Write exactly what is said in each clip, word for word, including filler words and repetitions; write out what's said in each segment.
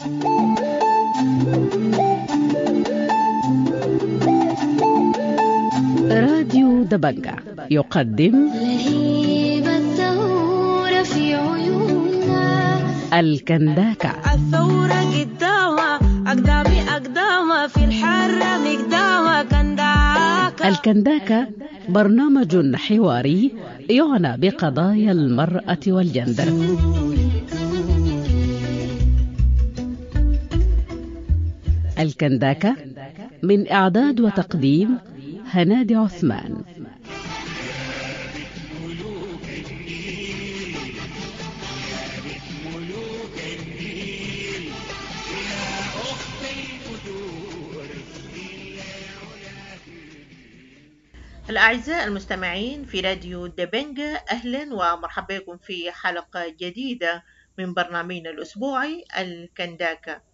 راديو دبنجة يقدم لهيب الثورة في عيوننا الكنداكة. الثورة قدامها أقدامي أقدامها في الحرة مقدامها كنداكة. الكنداكة برنامج حواري يعنى بقضايا المرأة والجندر. الكنداكة من إعداد وتقديم هنادي عثمان. الأعزاء المستمعين في راديو دبنجة، أهلا ومرحبا بكم في حلقة جديدة من برنامجنا الأسبوعي الكنداكة.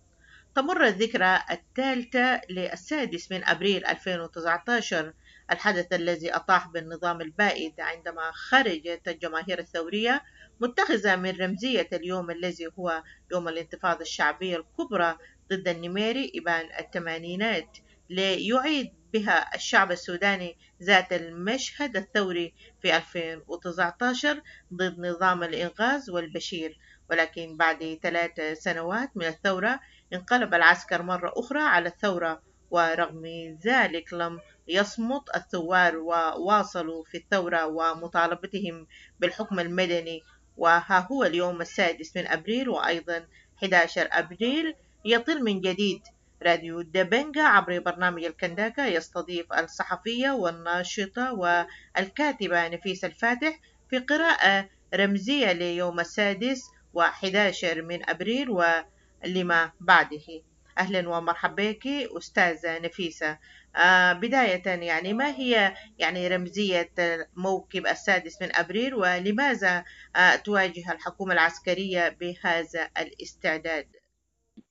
تمر الذكرى الثالثة للسادس من أبريل ألفين وتسعة عشر، الحدث الذي أطاح بالنظام البائد عندما خرجت الجماهير الثورية متخذة من رمزية اليوم الذي هو يوم الانتفاضة الشعبية الكبرى ضد النميري إبان الثمانينات، ليعيد بها الشعب السوداني ذات المشهد الثوري في ألفين وتسعة عشر ضد نظام الإنقاذ والبشير. ولكن بعد ثلاث سنوات من الثورة انقلب العسكر مرة أخرى على الثورة، ورغم ذلك لم يصمت الثوار وواصلوا في الثورة ومطالبتهم بالحكم المدني. وها هو اليوم السادس من أبريل وأيضا أحد عشر أبريل يطل من جديد راديو دبنجة عبر برنامج الكنداكة يستضيف الصحفية والناشطة والكاتبة نفيسة الفاتح في قراءة رمزية ليوم السادس وأحد عشر من أبريل ولما بعده. أهلا ومرحبا بك أستاذة نفيسة. آه بداية يعني ما هي يعني رمزية موكب السادس من أبريل، ولماذا آه تواجه الحكومة العسكرية بهذا الاستعداد؟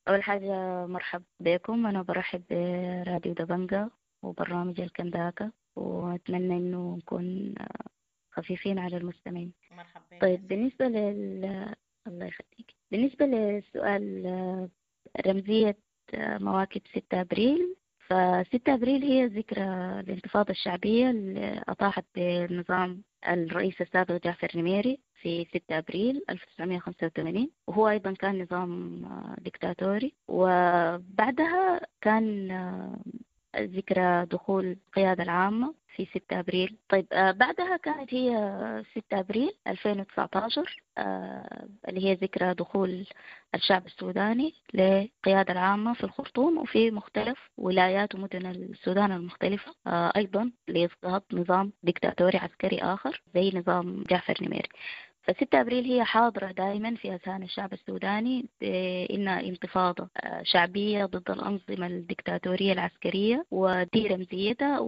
أول حاجة مرحب بكم، أنا برحب براديو دبنجة وبرنامج الكنداكة، وأتمنى إنه نكون خفيفين على المستمعين. مرحبا. طيب بالنسبة لل الله يخليك، بالنسبة للسؤال رمزية مواكب ستة أبريل، فستة أبريل هي ذكرى الانتفاضة الشعبية اللي أطاحت بالنظام الرئيس السابق جعفر نميري في ستة أبريل ألف وتسعمائة وخمسة وثمانين، وهو أيضا كان نظام ديكتاتوري. وبعدها كان ذكرى دخول القيادة العامة في ستة أبريل. طيب بعدها كانت هي ستة أبريل ألفين وتسعة عشر اللي هي ذكرى دخول الشعب السوداني للقيادة العامة في الخرطوم وفي مختلف ولايات ومدن السودان المختلفة، أيضا لإسقاط نظام ديكتاتوري عسكري آخر زي نظام جعفر نميري. فستة أبريل هي حاضرة دائما في أذهان الشعب السوداني بإنها انتفاضة شعبية ضد الأنظمة الدكتاتورية العسكرية، ودي رمزيتها.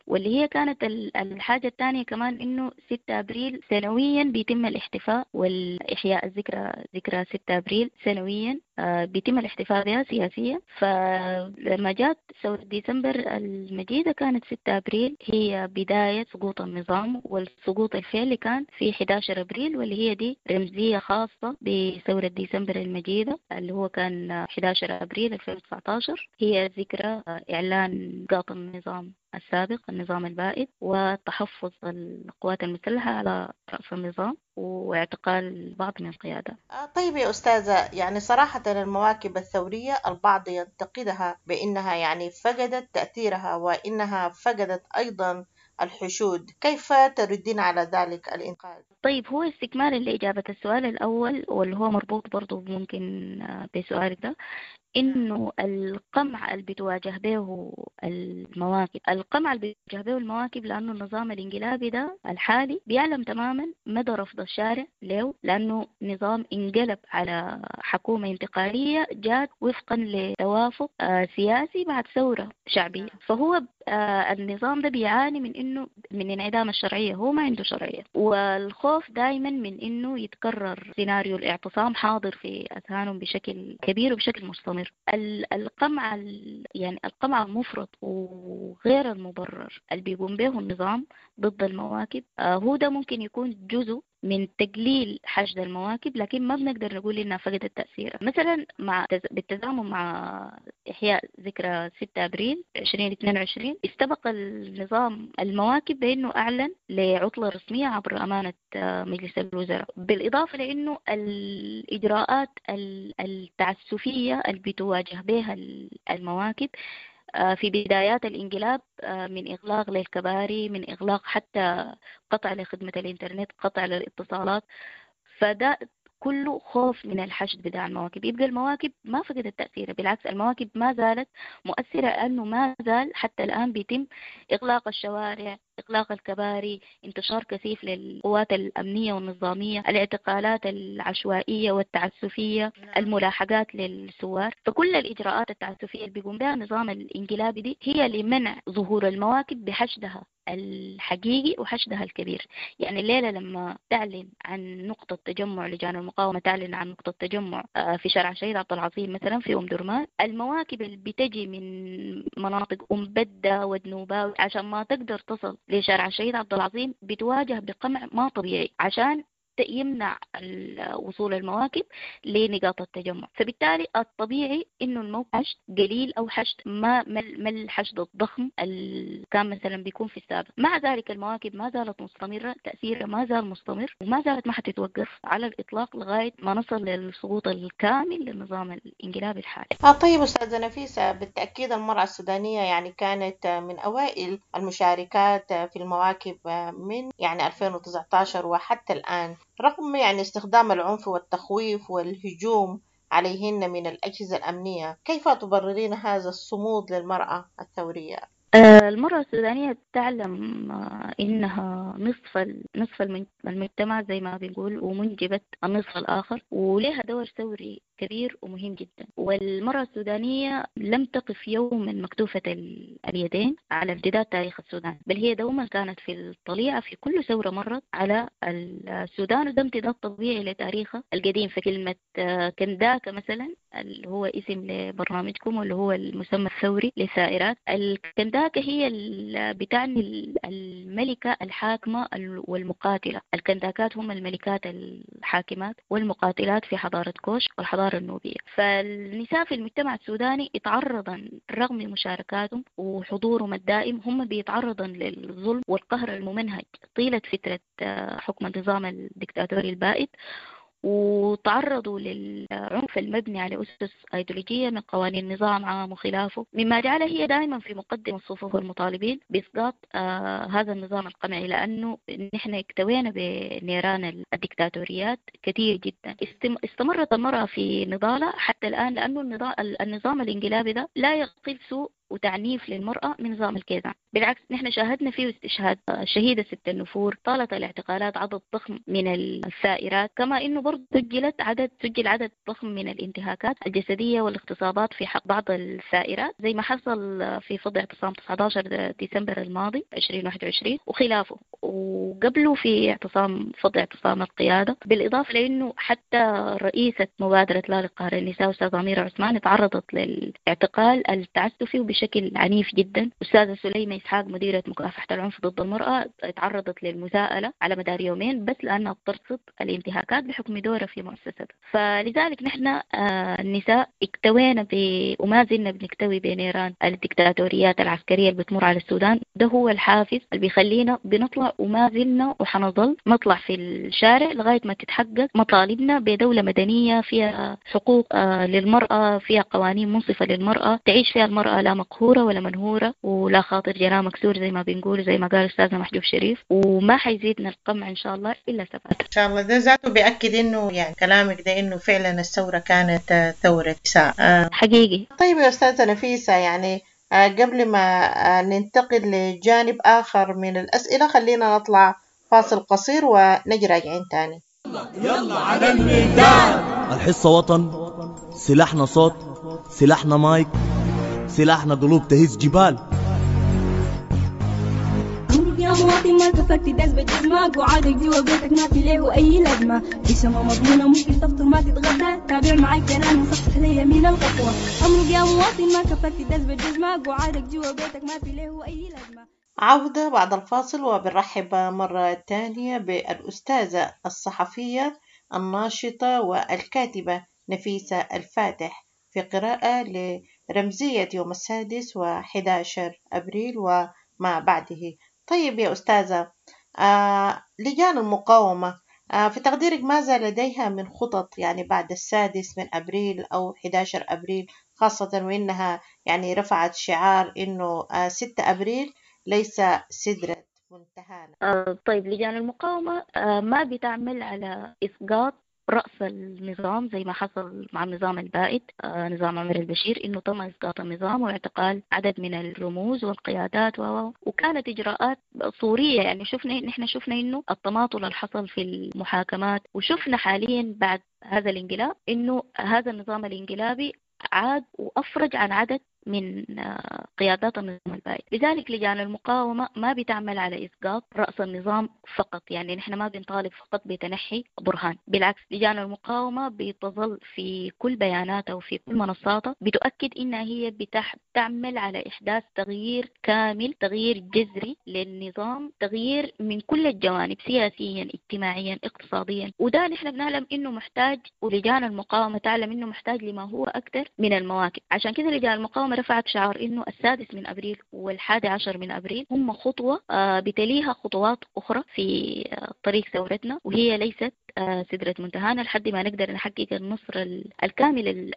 واللي هي كانت الحاجة الثانية كمان إنه ستة أبريل سنويا بيتم الاحتفاء والإحياء الذكرى، ذكرى ستة أبريل سنويا بيتم الاحتفاء بها سياسيا. فلما جات ثورة ديسمبر المجيدة كانت ستة أبريل هي بداية سقوط النظام، والسقوط الفعلي كان في أحد عشر أبريل، واللي هي دي رمزية خاصة بثورة ديسمبر المجيدة اللي هو كان أحد عشر أبريل ألفين وتسعة عشر، هي ذكرى إعلان إسقاط النظام السابق النظام البائد وتحفظ القوات المسلحة على رأس النظام واعتقال بعض من القيادة. طيب يا أستاذة، يعني صراحة المواكب الثورية البعض ينتقدها بأنها يعني فقدت تأثيرها وإنها فقدت أيضا الحشود، كيف تردين على ذلك الإنقاذ؟ طيب هو استكمالا لإجابة السؤال الأول واللي هو مربوط برضو ممكن بسؤالك ده، إنه القمع اللي بتواجه به المواكب، القمع اللي بتواجه به المواكب لأنه النظام الانقلابي ده الحالي بيعلم تماما مدى رفض الشارع له، لأنه نظام انقلب على حكومة انتقالية جات وفقا لتوافق سياسي بعد ثورة شعبية. فهو النظام ده بيعاني من إنه من انعدام الشرعية، هو ما عنده شرعية، والخوف دائما من إنه يتكرر سيناريو الاعتصام حاضر في أذهانهم بشكل كبير وبشكل مستمر. القمع يعني القمع المفرط وغير المبرر اللي بيقوم به النظام ضد المواكب هو ده ممكن يكون جزء من تقليل حشد المواكب، لكن ما بنقدر نقول إنها فقدت تأثيرها. مثلا مع بالتزامن مع إحياء ذكرى ستة أبريل ألفين واثنين وعشرين، استبق النظام المواكب بأنه أعلن لعطلة رسمية عبر أمانة مجلس الوزراء، بالإضافة لأنه الإجراءات التعسفية اللي بتواجه بها المواكب في بدايات الانقلاب من إغلاق للكباري، من إغلاق حتى قطع لخدمة الإنترنت، قطع للاتصالات، فده كله خوف من الحشد بتاع المواكب. يبقى المواكب ما فقدت تأثيرها، بالعكس المواكب ما زالت مؤثرة، لأنه ما زال حتى الآن بيتم إغلاق الشوارع، إغلاق الكباري، انتشار كثيف للقوات الأمنية والنظامية، الاعتقالات العشوائية والتعسفية، الملاحقات للثوار. فكل الإجراءات التعسفية اللي بيقوم بها النظام الانقلابي دي هي لمنع ظهور المواكب بحشدها الحقيقي وحشدها الكبير. يعني الليلة لما تعلن عن نقطة تجمع لجان المقاومة، تعلن عن نقطة تجمع في شارع الشهيد عبد العظيم مثلا في أم درمان، المواكب اللي بتجي من مناطق أم بدة ودنوباوي عشان ما تقدر تصل لشارع الشهيد عبد العظيم بتواجه بقمع ما طبيعي عشان يمنع وصول المواكب لنقاط التجمع. فبالتالي الطبيعي انه الموقع حشد قليل او حشد ما ما الحشد الضخم اللي كان مثلا بيكون في السابق. مع ذلك المواكب ما زالت مستمرة، تاثيرها ما زال مستمر وما زالت ما حتتوقف على الاطلاق لغاية ما نصل للسقوط الكامل للنظام الانقلابي الحالي. آه طيب استاذه نفيسة، بالتاكيد المراة السودانية يعني كانت من اوائل المشاركات في المواكب من يعني ألفين وتسعة عشر وحتى الان، رغم يعني استخدام العنف والتخويف والهجوم عليهن من الأجهزة الأمنية، كيف تبررين هذا الصمود للمرأة الثورية؟ المرأة السودانية تعلم إنها نصف نصف المجتمع زي ما بنقول، ومنجبة النصف الآخر، ولها دور ثوري كبير ومهم جدا. والمرأة السودانية لم تقف يوما مكتوفة اليدين على امتداد تاريخ السودان، بل هي دوما كانت في الطليعة في كل ثورة مرت على السودان، وده امتداد طبيعي لتاريخها القديم. فكلمة كنداكا مثلا اللي هو اسم لبرنامجكم واللي هو المسمى الثوري للثائرات، الكنداكا هي بتعني الملكة الحاكمة والمقاتلة. الكنداكات هم الملكات الحاكمات والمقاتلات في حضارة كوش والحضارة النوبية. فالنساء في المجتمع السوداني يتعرضن رغم مشاركاتهم وحضورهم الدائم، هم بيتعرضن للظلم والقهر الممنهج طيلة فترة حكم النظام الدكتاتوري البائد، وتعرضوا للعنف المبني على أسس أيديولوجية من قوانين نظام عام وخلافه، مما جعلها هي دائما في مقدمة صفوف المطالبين بإسقاط آه هذا النظام القمعي، لأنه نحن اكتوينا بنيران الدكتاتوريات كثير جدا. استمرت المرأة في نضالها حتى الآن، لأنه النظام الانقلابي ده لا يقل سوء وتعنيف للمرأة من نظام الكيزان، بالعكس نحن شاهدنا فيه استشهاد الشهيدة ست النفور، طالت الاعتقالات عدد ضخم من الثائرات، كما انه برضه سجلت عدد سجل عدد ضخم من الانتهاكات الجسدية والاغتصابات في حق بعض الثائرات، زي ما حصل في فض اعتصام تسعة عشر ديسمبر الماضي ألفين وواحد وعشرين وخلافه، وقبله في اعتصام فض اعتصام القيادة. بالإضافة لأنه حتى رئيسة مبادرة لا لقهر النساء أستاذة أميرة عثمان تعرضت للاعتقال التعسفي وبشكل عنيف جدا. أستاذة سليمة إسحاق مديرة مكافحة العنف ضد المرأة تعرضت للمساءلة على مدار يومين بس لأنها بترصد الانتهاكات بحكم دورها في مؤسستها. فلذلك نحن النساء اكتوينا ب... وما زلنا بنكتوي بنيران الدكتاتوريات العسكرية اللي بتمر على السودان. ده هو الحافز اللي بيخلينا بنطلع، وما زلنا وحنظل نطلع في الشارع لغاية ما تتحقق مطالبنا بدولة مدنية فيها حقوق للمرأة، فيها قوانين منصفة للمرأة، تعيش فيها المرأة لا مقهورة ولا منهورة ولا خاطر جناح مكسور زي ما بنقول، زي ما قال أستاذنا محجوب شريف. وما حيزيدنا القمع إن شاء الله إلا ثبات إن شاء الله. ده ذاته بيأكد إنه يعني كلامك ده إنه فعلا الثورة كانت ثورة نساء حقيقي. طيب يا أستاذة نفيسة، يعني قبل ما ننتقل لجانب آخر من الأسئلة خلينا نطلع فاصل قصير ونجي راجعين تاني. يلا على الميدان. الحصة وطن، سلاحنا صوت، سلاحنا مايك، سلاحنا قلوب تهز جبال. يا مواطن ما كفكت داس بجزمك وعادك جوا بيتك ما في ليه اي لازمه، في سما مضمونه ممكن تفطر ما تتغدى، تابع معاك جنان وصحح لي يمين الخطوة. امرق يا مواطن ما كفكت داس بجزمك وعادك جوا بيتك ما في ليه اي لازمه. عودة بعد الفاصل، وبنرحب مرة تانية بالأستاذة الصحفية الناشطة والكاتبة نفيسة الفاتح في قراءة لرمزية يوم السادس وحداشر أبريل وما بعده. طيب يا أستاذة، آه لجان المقاومة آه في تقديرك ماذا لديها من خطط يعني بعد السادس من أبريل أو حداشر أبريل، خاصة وإنها يعني رفعت شعار إنه آه ستة أبريل ليس سدرة منتهانا؟ آه طيب، لجان المقاومة آه ما بتعمل على إسقاط رأس النظام زي ما حصل مع النظام البائد، آه نظام عمر البشير، إنه تم إسقاط النظام واعتقال عدد من الرموز والقيادات و وكانت إجراءات صورية. يعني شفنا نحن شفنا إنه التماطل اللي حصل في المحاكمات، وشفنا حاليا بعد هذا الانقلاب إنه هذا النظام الانقلابي عاد وأفرج عن عدد من قيادات النظام البائد. لذلك لجان المقاومة ما بتعمل على إسقاط رأس النظام فقط، يعني نحن ما بنطالب فقط بتنحي برهان، بالعكس لجان المقاومة بتظل في كل بياناتها وفي كل منصاتها بتؤكد إنها هي بتعمل على إحداث تغيير كامل، تغيير جذري للنظام، تغيير من كل الجوانب، سياسيا اجتماعيا اقتصاديا. وده نحن بنعلم إنه محتاج، ولجان المقاومة تعلم إنه محتاج لما هو أكثر من المواكب. عشان كده لجان المقاومة رفعت شعار إنه السادس من أبريل والحادي عشر من أبريل هم خطوة بتليها خطوات أخرى في طريق ثورتنا، وهي ليست سدرة منتهانا لحد ما نقدر نحقق النصر الكامل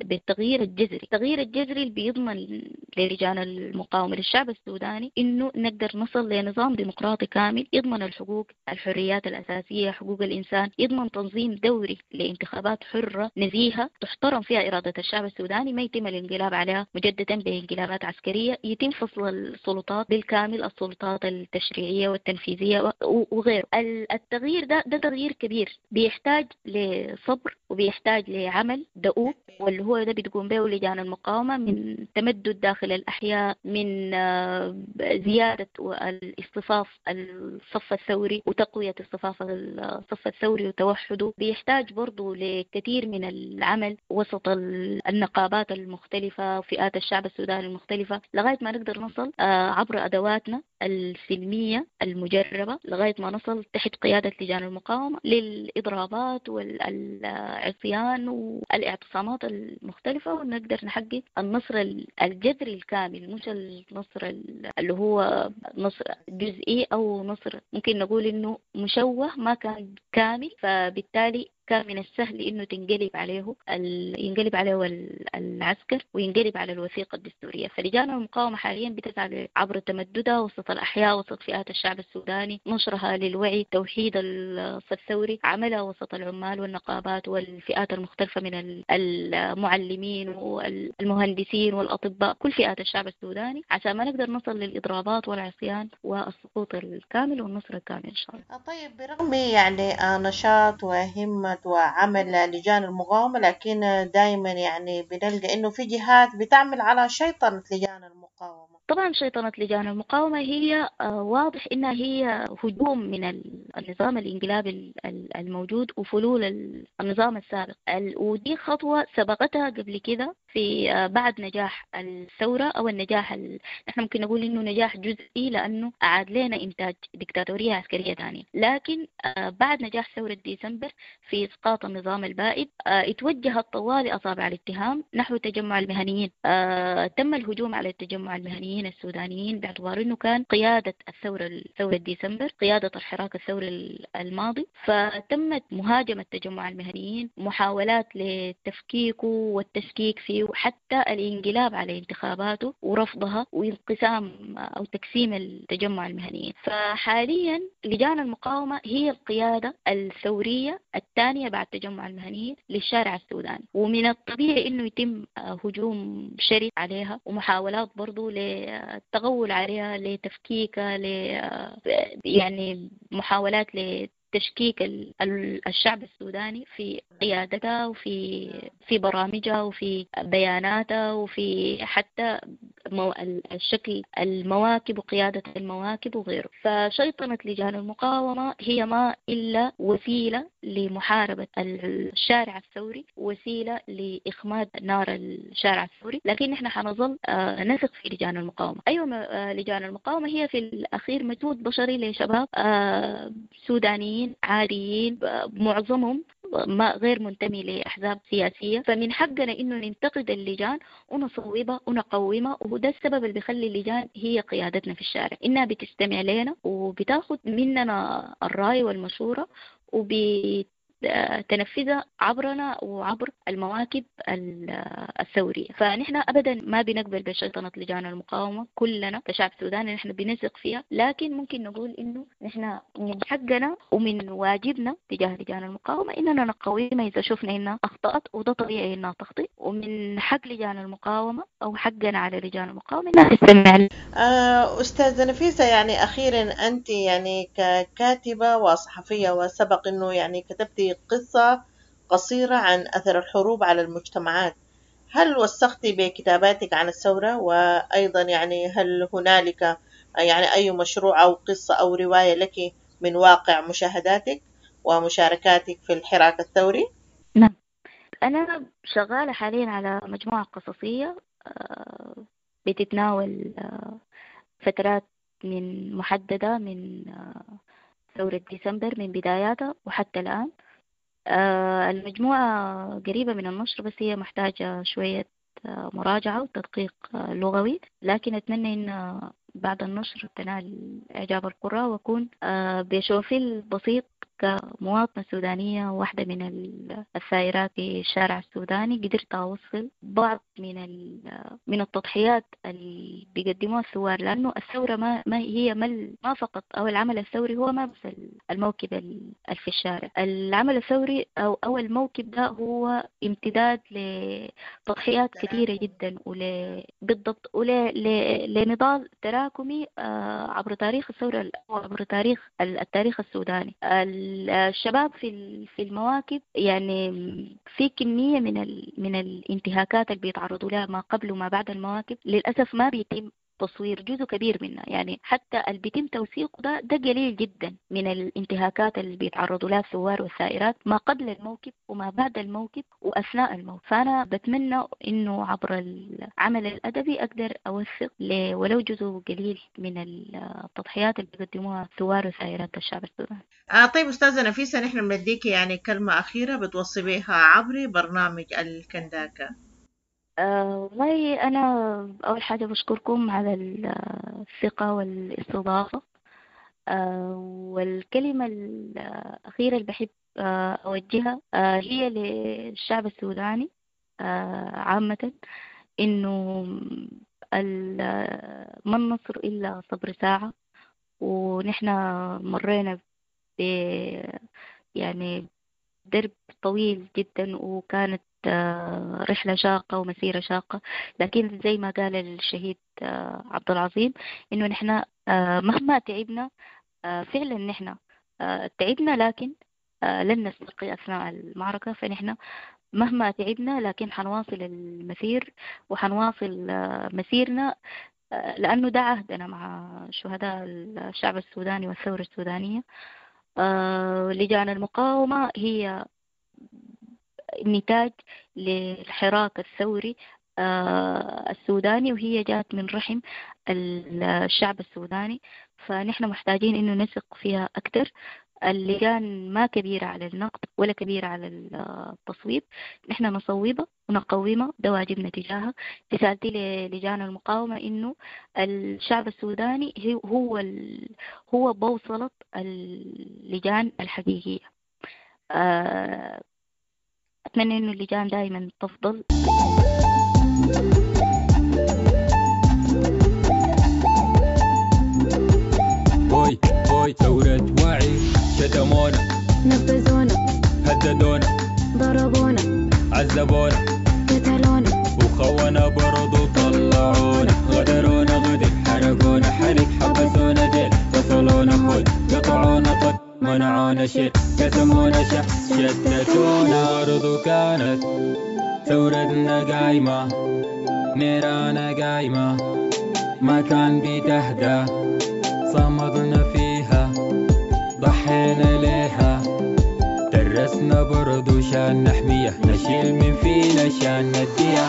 بالتغيير الجذري. التغيير الجذري اللي بيضمن للجان المقاومة للشعب السوداني إنه نقدر نصل لنظام ديمقراطي كامل يضمن الحقوق، الحريات الأساسية، حقوق الإنسان، يضمن تنظيم دوري لانتخابات حرة نزيهة تحترم فيها إرادة الشعب السوداني، ما يتم الانقلاب عليها مجددا بانقلابات عسكرية، يتم فصل السلطات بالكامل، السلطات التشريعية والتنفيذية وغيره. التغيير ده ده تغيير كبير بيحتاج لصبر وبيحتاج لعمل دؤوب، واللي هو ده بتقوم به لجان المقاومة من تمدد داخل الأحياء، من زيادة الاصطفاف الصف الثوري وتقوية اصطفاف الصف الثوري وتوحده. بيحتاج برضو لكثير من العمل وسط النقابات المختلفة وفئات الشعب السوداني المختلفة لغاية ما نقدر نصل عبر أدواتنا السلمية المجربة، لغاية ما نصل تحت قيادة لجان المقاومة للإضرابات والعصيان والاعتصامات المختلفة، ونقدر نحقق النصر الجذري الكامل، مش النصر اللي هو نصر جزئي أو نصر ممكن نقول إنه مشوه ما كان كامل، فبالتالي كان من السهل إنه تنقلب عليه ينقلب عليه العسكر وينقلب على الوثيقة الدستورية. فلجان المقاومة حاليا بتسعى عبر تمددها وسط الأحياء، وسط فئات الشعب السوداني، نشرها للوعي، توحيد الصف الثوري، عملها وسط العمال والنقابات والفئات المختلفة من المعلمين والمهندسين والأطباء، كل فئات الشعب السوداني، عشان ما نقدر نصل للإضرابات والعصيان والسقوط الكامل والنصر الكامل إن شاء الله. طيب، برغم يعني نشاط وهمة وعمل لجان المقاومة، لكن دائما يعني بنلقى إنه في جهات بتعمل على شيطنة لجان المقاومة. طبعا شيطنة لجان المقاومة هي واضح إنها هي هجوم من النظام الانقلابي الموجود وفلول النظام السابق، ودي خطوة سبقتها قبل كده في بعد نجاح الثورة أو النجاح ال... نحن ممكن نقول إنه نجاح جزئي لأنه أعاد لنا إنتاج ديكتاتورية عسكرية ثانية، لكن بعد نجاح ثورة ديسمبر في إسقاط النظام البائد اتوجهت طوال أصابع الاتهام نحو تجمع المهنيين. تم الهجوم على التجمع المهنيين السودانيين باعتبار أنه كان قيادة الثورة ثورة ديسمبر، قيادة الحراك الثوري الماضي، فتمت مهاجمة تجمع المهنيين، محاولات لتفكيكه والتشكيك فيه، وحتى الانقلاب على انتخاباته ورفضها وانقسام أو تقسيم التجمع المهنيين. فحاليا لجان المقاومة هي القيادة الثورية الثانية بعد تجمع المهنيين للشارع السوداني، ومن الطبيعي أنه يتم هجوم شرس عليها ومحاولات برضو للتغول عليها، لتفكيكها، ل يعني محاولات لتشكيك الشعب السوداني في قيادتها وفي في برامجها وفي بياناتها وفي حتى الشكل المواكب وقيادة المواكب وغيره. فشيطنة لجان المقاومة هي ما إلا وسيلة لمحاربة الشارع الثوري، وسيلة لإخماد نار الشارع الثوري، لكن نحن حنظل نثق في لجان المقاومة. أيوة، لجان المقاومة هي في الأخير مجهود بشري لشباب سودانيين عاديين معظمهم ما غير منتمي لأحزاب سياسية، فمن حقنا إنه ننتقد اللجان ونصوبها ونقومها، وده السبب اللي بيخلي اللجان هي قيادتنا في الشارع، إنها بتستمع لنا وبتاخد مننا الرأي والمشورة وبتنفذها عبرنا وعبر المواكب الثورية. فنحن أبدا ما بنقبل بشيطنة لجان المقاومة، كلنا كشعب سوداني نحن بنثق فيها، لكن ممكن نقول إنه نحن من حقنا ومن واجبنا تجاه لجان المقاومة إننا نقومها إذا شفنا إنها أخطأت، وده طبيعي إنها تخطئ، ومن حق لجان المقاومة أو حقنا على لجان المقاومة إنها تستمع. أستاذة نفيسة، يعني أخيرا أنت يعني ككاتبة وصحفية، وسبق إنه يعني كتبتي قصة قصيرة عن أثر الحروب على المجتمعات، هل وثقتي بكتاباتك عن الثورة؟ وأيضا يعني هل هنالك يعني أي مشروع أو قصة أو رواية لك من واقع مشاهداتك ومشاركاتك في الحراك الثوري؟ نعم، أنا شغالة حاليا على مجموعة قصصية بتتناول فترات من محددة من ثورة ديسمبر من بداياتها وحتى الآن. المجموعة قريبة من النشر، بس هي محتاجة شوية مراجعة وتدقيق لغوي، لكن أتمنى إن بعد النشر تنال إعجاب القراء، وأكون بشوفي البسيط كمواطنة سودانية واحدة من الثائرات في الشارع السوداني قدرت أوصل بعض من من التضحيات اللي بيقدموها الثوار، لأنه الثورة ما ما هي ما, ما فقط أو العمل الثوري هو ما بس الموكب في الشارع، العمل الثوري أو أو الموكب ده هو امتداد لتضحيات كثيرة جدا ول بالضبط ولنضال تراكمي عبر تاريخ الثورة وعبر تاريخ التاريخ السوداني. الشباب في في المواكب يعني في كمية من من الانتهاكات اللي بيتعرضوا لها ما قبل وما بعد المواكب، للأسف ما بيتم تصوير جزء كبير منها، يعني حتى اللي بيتم توثيقه ده ده قليل جدا من الانتهاكات اللي بيتعرضوا لها الثوار والثائرات ما قبل الموكب وما بعد الموكب وأثناء الموكب. فأنا بتمنى إنه عبر العمل الأدبي أقدر أوثق ولو جزء قليل من التضحيات اللي بيقدموها الثوار وثائرات الشعب السوداني. آه طيب أستاذة نفيسة، نحن بنديك يعني كلمة أخيرة بتوصي بها عبر برنامج الكنداكا. أه والله أنا أول حاجة بشكركم على الثقة والاستضافة، أه والكلمة الأخيرة اللي بحب أوجهها أه هي للشعب السوداني أه عامة، إنه ما النصر إلا صبر ساعة، ونحن مرينا ب يعني درب طويل جدا، وكانت رحلة شاقة ومسيرة شاقة، لكن زي ما قال الشهيد عبد العظيم إنه نحن مهما تعبنا فعلا نحن تعبنا، لكن لن نستلقي أثناء المعركة، فنحن مهما تعبنا لكن حنواصل المسير وحنواصل مسيرنا، لأنه ده عهدنا مع شهداء الشعب السوداني والثورة السودانية. لجان المقاومة هي نتاج للحراك الثوري السوداني، وهي جات من رحم الشعب السوداني، فنحن محتاجين إنه نثق فيها أكثر. اللجان ما كبيرة على النقد ولا كبيرة على التصويب، نحن نصوبها ونقومها، ده واجبنا تجاهها. رسالتي للجان المقاومة إنه الشعب السوداني هو ال... هو بوصلة اللجان الحقيقية. أتمنى إنه اللجان دائما تفضل. هوي هوي ثورة وعي، شتمونا نبذونا هددونا ضربونا عذبونا قتلونا وخونا برضو طلعونا غدرونا غدر حرقونا حرق حبسونا جيل فصلونا خد قطعونا طد منعونا شيل قسمونا شح شتتونا. برضو كانت ثورتنا قايمة نيرانا قايمة ما كان بتهدى، صمدنا فيها ضحينا ليها، درسنا برضو شان نحميها، نشيل من فينا شان نديها.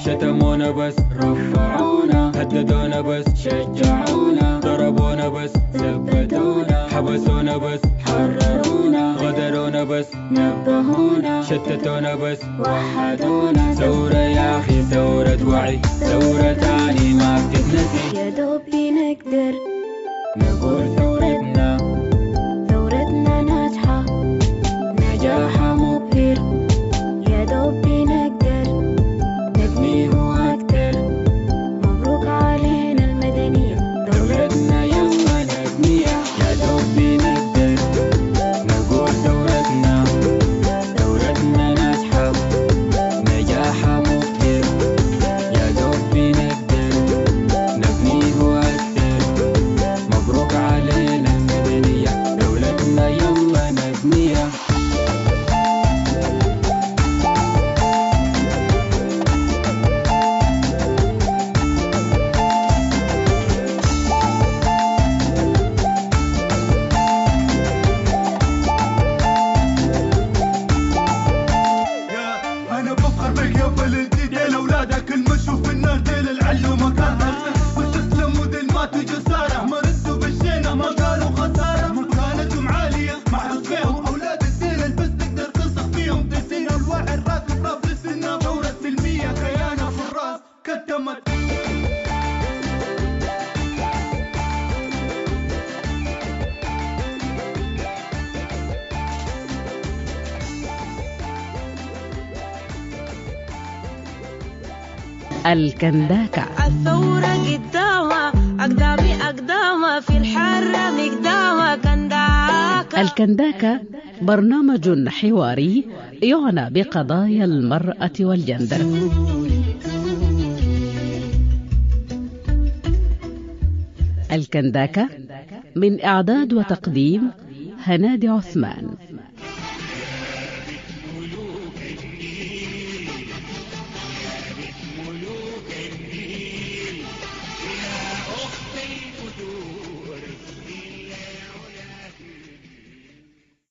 شتمونا بس رفعونا، هددونا بس شجعونا، ضربونا بس ثبتونا، حبسونا بس حررونا، غدرونا بس نبهونا، شتتونا بس وحدونا. ثورة يا أخي ثورة وعي، ثورة تاني ما بتتنسي، يا دوبي نقدر نقول ثورتنا ثورتنا ناجحة نجاحها مبهر، يا دوبي نقدر نبنيه أكتر، مبروك علينا المدنية دولتنا يلا نبنيها. يا دوبي نقدر نقول ثورتنا ثورتنا ناجحة نجاحها مبهر، يا دوبي نقدر نبنيه أكتر، مبروك علينا المدنية، دولتنا يلا نبنيها. يا انا بفخر بك يا بلدي، ديل اولادك المشوا في النار، ديل العلو مكان واستسلموا ديل ماتوا جسارة، ما ردوا بالشينة ما قالوا خسارة، مكانتهم عالية معروف فيهم اولاد الديل، بس تقدر تثق فيهم، دسين الواحد راكب راب للسنة، ثورة سلمية كيانة في الراس كتمت. الكنداكة. الثورة قدامها أقدامي أقدامها في الحرة مقدامها كنداكة. الكنداكة برنامج حواري يعنى بقضايا المرأة والجندر. الكنداكة من إعداد وتقديم هنادي عثمان.